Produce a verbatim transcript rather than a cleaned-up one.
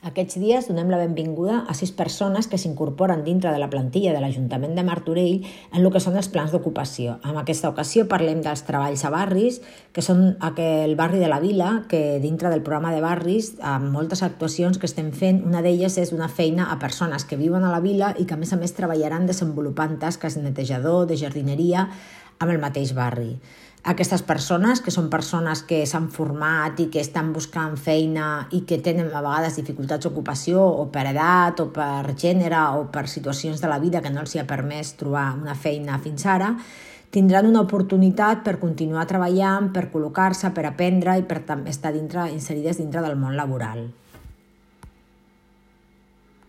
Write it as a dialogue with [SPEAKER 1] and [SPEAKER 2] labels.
[SPEAKER 1] Aquests dies donem la benvinguda a sis persones que s'incorporen dintre de la plantilla de l'Ajuntament de Martorell en el que són els plans d'ocupació. En aquesta ocasió parlem dels treballs a barris, que són el barri de la Vila, que dintre del programa de barris, amb moltes actuacions que estem fent, una d'elles és una feina a persones que viuen a la Vila i que a més a més treballaran desenvolupant tasques de netejador, de jardineria, amb el mateix barri. Aquestes persones, que són persones que s'han format i que estan buscant feina i que tenen a vegades dificultats d'ocupació o per edat o per gènere o per situacions de la vida que no els hi ha permès trobar una feina fins ara, tindran una oportunitat per continuar treballant, per col·locar-se, per aprendre i per estar dintre, inserides dintre del món laboral.